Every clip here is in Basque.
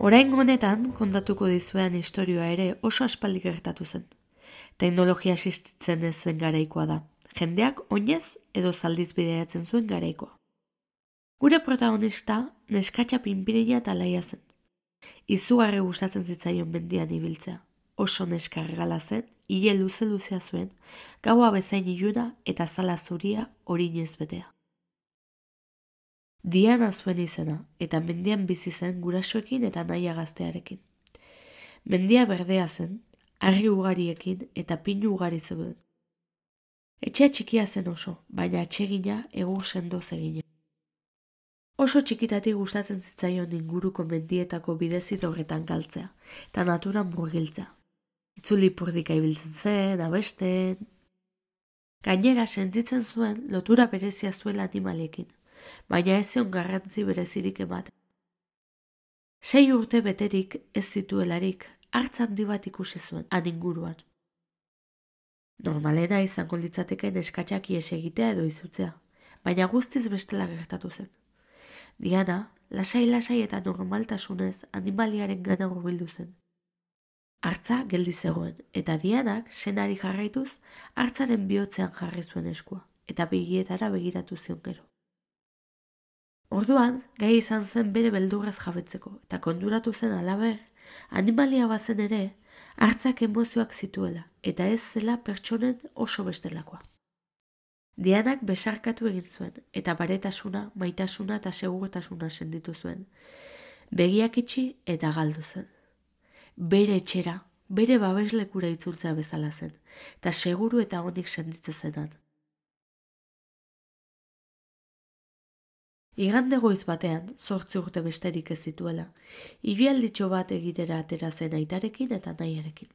Oraingo honetan kontatuko dizuean istorioa ere oso aspaldi gertatu zen. Teknologia existitzen ez zen garaikoa da. Jendeak oinez edo zaldiz bidaiatzen zuen garaikoa. Gure protagonista neskatxa pinpirina eta laia zen. Izugarri gustatzen zitzaion mendian ibiltzea. Oso neska argala zen, ile luze-luzea zuen, gaua bezain iluna eta zala zuria orinez betea. Diana zuen izena, eta mendian bizi zen gurasoekin eta naia gaztearekin. Mendia berdea zen, harri ugariekin eta pinu ugari zeuden. Etxea txikia zen oso, baina atsegina egur sendoz egina. Oso txikitatik gustatzen zitzaion inguruko mendietako bidezit horretan galtzea, eta naturan murgiltzea. Itzulipurdika ibiltzen zen, abesten. Gainera sentitzen zuen lotura berezia zuela animaliekin, baina ez zion garrantzi berezirik ematen. 6 urte beterik ez zituelarik, hartz handi bat ikusi zuen, han inguruan. Normalena izango litzateke neskatxak ihes egitea edo izutzea, baina guztiz bestela gertatu zen. Diana, lasai-lasai eta normaltasunez animaliaren gana hurbildu zen. Hartza geldi zegoen, eta Dianak senari jarraituz hartzaren bihotzean jarri zuen eskua, eta begietara begiratu zion gero. Orduan, gai izan zen bere beldurrez jabetzeko, eta konturatu zen halaber, animalia bazen ere, hartzak emozioak zituela, eta ez zela pertsonen oso bestelakoa. Dianak besarkatu egin zuen, eta baretasuna, maitasuna eta segurtasuna senditu zuen. Begiak itxi eta galdu zen. Bere etxera, bere babeslekura itzultzea bezala zen, eta seguru eta onik senditzen zenan. Igande goiz batean, 8 urte besterik ez zituela, ibialditxo bat egitera atera zen aitarekin eta nahiarekin.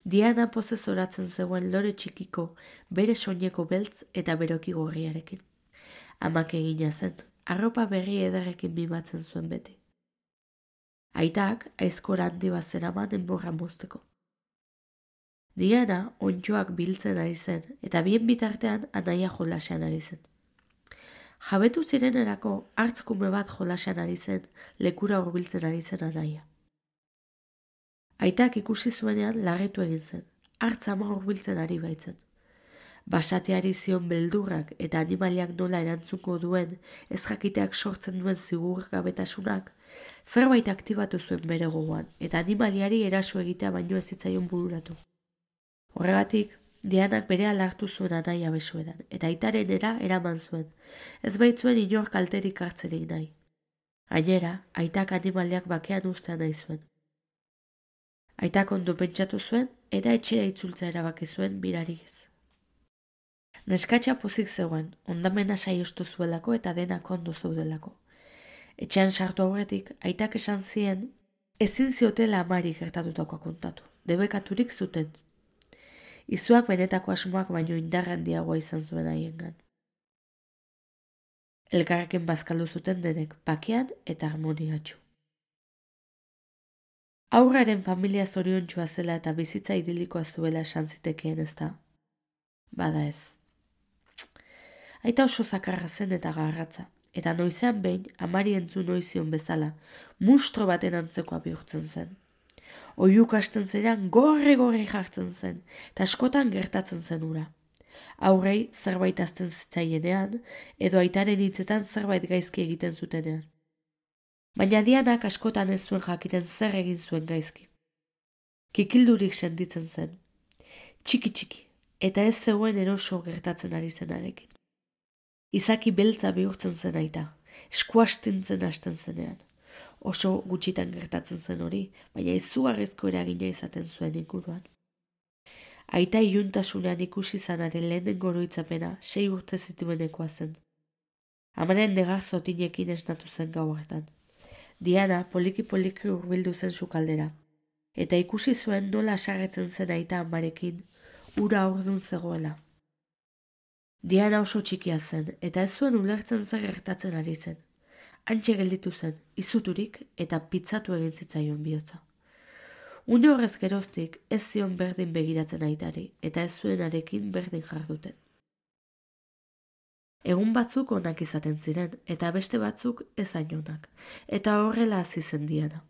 Diana pozez oratzen zegoen lore txikiko, bere soineko beltz eta beroki gorriarekin. Amak egina zen, arropa berri ederrekin mimatzen zuen beti. Aitak aizkora handi bat zeraman enborra mozteko. Diana onddoak biltzen ari zen, eta bien bitartean anaia jolasean ari zen. Jabetu zirenerako hartzkume bat jolasean ari zen, lekura hurbiltzen ari zen anaia. Aitak ikusi zuenean larritu egin zen, hartz ama hurbiltzen ari baitzen. Basateari zion beldurrak eta animaliak nola erantzungo duen ez jakiteak sortzen duen zigurgabetasunak, zerbait aktibatu zuen bere gogoan, eta animaliari eraso egitea baino ez zitzaion bururatu. Horregatik, Dianak berehala hartu zuen anaia besoedan, eta aitarenera eraman zuen, ez baitzuen inor kalterik hartzerik nahi. Gainera, aitak animaliak bakean uztea nahi zuen. Aitak ondo pentsatu zuen, eta etxera itzultzea erabaki zuen birariez. Neskatxa pozik zegoen, ondamena saiostu zuelako eta denak ondo zeudelako. Etxean sartu aurretik, aitak esan zien, ezin ziotela amari gertatutakoa kontatu, debekaturik zuten. Izuak benetako asmoak baino indar handiagoa izan zuen haiengan. Elkarrekin bazkaldu zuten denek, bakean eta harmoniatsu. Aurraren familia zoriontsua zela eta bizitza idilikoa zuela esan zitekeen ezta. Bada ez. Aita oso zakarra zen eta garratza, eta noizean behin amari entzun noizion bezala, mustro baten antzekoa bihurtzen zen. Oiuk hasten zenean gorri jartzen zen, eta askotan gertatzen zen ura. Aurrei zerbait azten zitzaienean, edo aitaren hitzetan zerbait gaizki egiten zutenean. Baina Dianak askotan ez zuen jakiten zer egin zuen gaizki. Kikildurik sentitzen zen. Txiki, eta ez zegoen eroso gertatzen ari zenarekin. Izaki beltza bihurtzen zen aita, eskuastintzen hasten zenean. Oso gutxitan gertatzen zen hori, baina izugarrizko eragina izaten zuen inguruan. Aita iluntasunean ikusi zanaren lehenengo oroitzapena 6 urte zituenekoa zen. Amaren negar zotinekin esnatu zen gau hartan. Diana poliki-poliki hurbildu zen sukaldera, eta ikusi zuen nola asarretzen zen aita amarekin, ura ordun zegoela. Diana oso txikia zen, eta ez zuen ulertzen zer gertatzen ari zen. Hantxe gelditu zen, izuturik eta pitzatu egin zitzaion bihotza. Une horrez geroztik ez zion berdin begiratzen aitari, eta ez zuen arekin berdin jarduten. Egun batzuk onak izaten ziren, eta beste batzuk ez hain onak, eta horrela hasi zen Diana.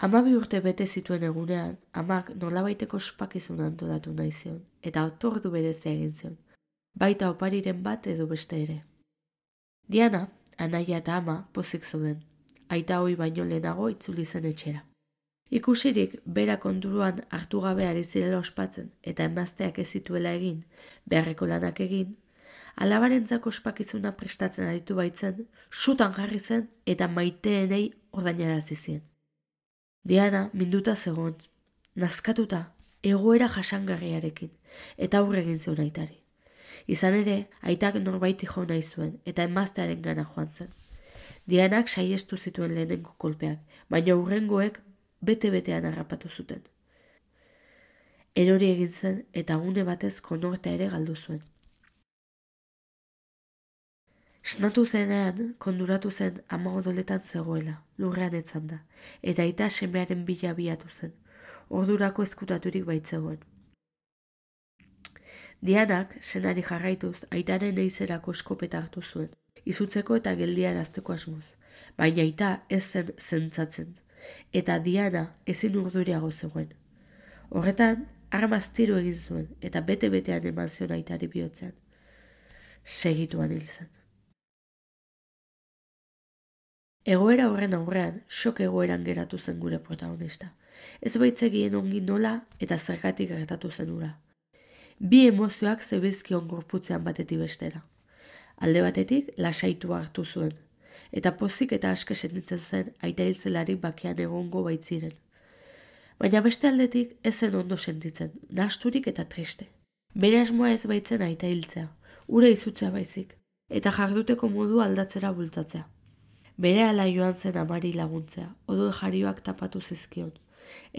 12 urte bete zituen egunean, amak nolabaiteko ospakizuna antolatu nahi zion, eta otordu berezia egin zion, baita opariren bat edo beste ere. Diana, anaia eta ama pozik zeuden, aita hoi baino lehenago itzuli zen etxera. Ikusirik, bera konturuan hartu gabe ari zirela ospatzen eta emazteak ez zituela egin, beharreko lanak egin, alabarentzako ospakizuna prestatzen aritu baitzen, sutan jarri zen eta maiteenei ordainarazi zien. Diana minduta zegoen, nazkatuta, egoera jasangarriarekin, eta aurre egin zion aitari. Izan ere, aitak norbaiti jo nahi zuen, eta emaztearen gana joan zen. Dianak saiestu zituen lehenengo kolpeak, baina hurrengoek bete-betean harrapatu zuten. Erori egin zen, eta gune batez konortea ere galdu zuen. Esnatu zenean, konduratu zen ama odoletan zegoela, lurrean etzanda, eta aita semearen bila abiatu zen, ordurako ezkutaturik baitzegoen. Dianak, senari jarraituz, aitaren eizerako eskopeta hartu zuen, izutzeko eta geldiarazteko asmoz, baina aita ez zen zentzatzen, eta Diana ezin urduriago zegoen. Horretan, armaz tiro egin zuen, eta bete-betean eman zion aitari bihotzean. Segituan hil zen. Egoera horren aurrean, sok egoeran geratu zen gure protagonista. Ez baitzegien ongi nola eta zergatik gertatu zen ura. Bi emozioak zebizkion gorputzean batetik bestera. Alde batetik, lasaitua hartu zuen, eta pozik eta aske sentitzen zen aita hiltzelarik bakean egongo baitziren. Baina beste aldetik ez zen ondo sentitzen, nahasturik eta triste. Bere asmoa ez baitzen aita hiltzea, ura izutzea baizik, eta jarduteko modu aldatzera bultzatzea. Bere ala joan zen amari laguntzea, odol jarioak tapatu zizkion,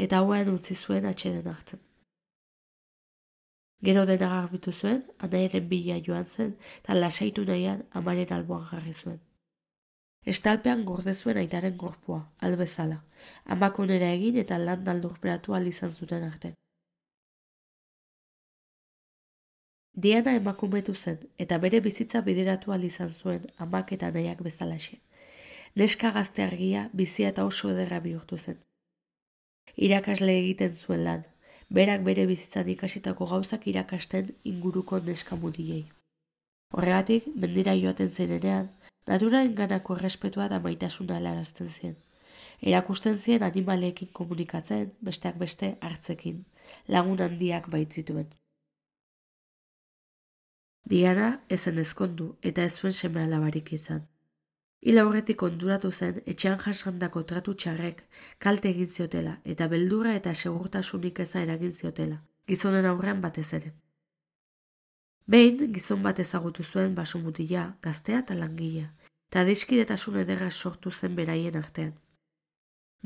eta hauean utzi zuen atxeden hartzen. Gero dena garbitu zuen, anaiaren bila joan zen, eta lasaitu nahian amaren alboan jarri zuen. Estalpean gorde zuen aitaren gorpua, albezala, amak onera egin eta lan daldurperatu izan zuten arte. Diana emakumetu zen, eta bere bizitza bideratu izan zuen amak eta anaiak bezalaxe. Neska gazte argia, bizia eta oso ederra bihurtu zen. Irakasle egiten zuen lan, berak bere bizitzan ikasitako gauzak irakasten inguruko neska mutilei. Horregatik, mendira joaten zenean, naturaren ganako errespetua eta maitasuna helarazten zien. Erakusten zien animaleekin komunikatzen, besteak beste hartzekin, lagun handiak baitzituen. Diana ezen ezkondu eta ez zuen seme alabarik izan. Hil aurretik konduratu zen etxean jasandako tratu txarrek kalte egin ziotela eta beldurra eta segurtasunik eza eragin ziotela, gizonen aurrean batez ere. Behin, gizon bat ezagutu zuen basomutila, gaztea eta langilea, eta adiskidetasun ederra sortu zen beraien artean.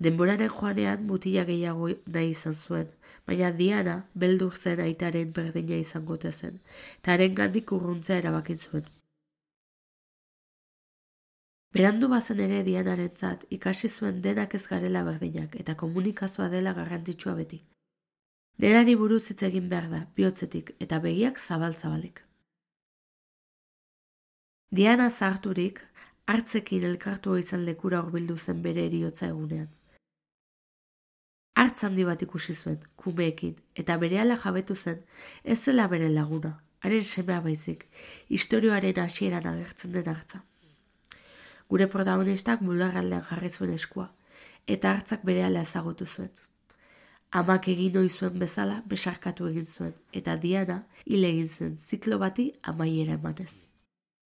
Denboraren joanean mutila gehiago nahi izan zuen, baina Diana beldur zen aitaren berdina izangote zen, eta haren gandik urruntzea erabakin zuen. Berandu bazen ere Dianarentzat ikasi zuen denak ez garela berdinak eta komunikazioa dela garrantzitsua beti. Denari buruz hitz egin behar da, bihotzetik eta begiak zabal-zabalik. Diana zaharturik, hartzekin elkartua izan lekura hurbildu zen bere heriotza egunean. Hartz handi bat ikusi zuen, kumeekin, eta berehala jabetu zen ez zela bere laguna, haren semea baizik, istorioaren hasieran agertzen den hartza. Gure protagonistak bularraldean jarri zuen eskua, eta hartzak berehala ezagutu zuen. Amak egin ohi zuen bezala besarkatu egin zuen, eta Diana hil egin zen ziklo bati amaiera emanez.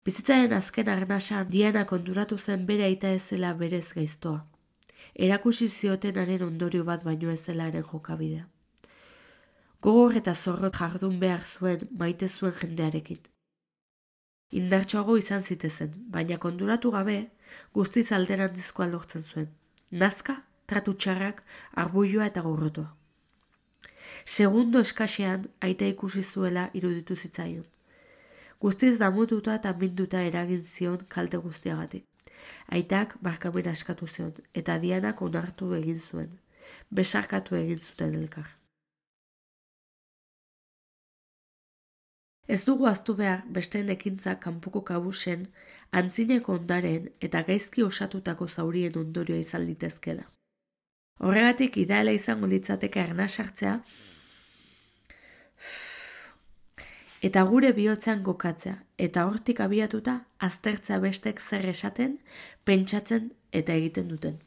Bizitzaren azken arnasan Diana konturatu zen bere aita ez zela berez gaiztoa. Erakusi ziotenaren ondorio bat baino ez zela haren jokabidea. Gogor eta zorrot jardun behar zuen maite zuen jendearekin. Indartsuago izan zitezen, baina konturatu gabe guztiz alderantzizkoa lortzen zuen. Nazka, tratu txarrak, arbuioa eta gorrotoa. Segundo eskasean aita ikusi zuela iruditu zitzaion. Guztiz damututa eta minduta eragin zion kalte guztiagatik. Aitak barkamena eskatu zion, eta Dianak onartu egin zuen. Besarkatu egin zuten elkar. Ez dugu ahaztu behar besteen ekintzak kanpoko kabusen, antzineko ondaren eta gaizki osatutako zaurien ondorioa izan litezkela. Horregatik ideala izango litzateke arna sartzea, eta gure bihotzean kokatzea, eta hortik abiatuta aztertzea bestek zer esaten, pentsatzen eta egiten duten.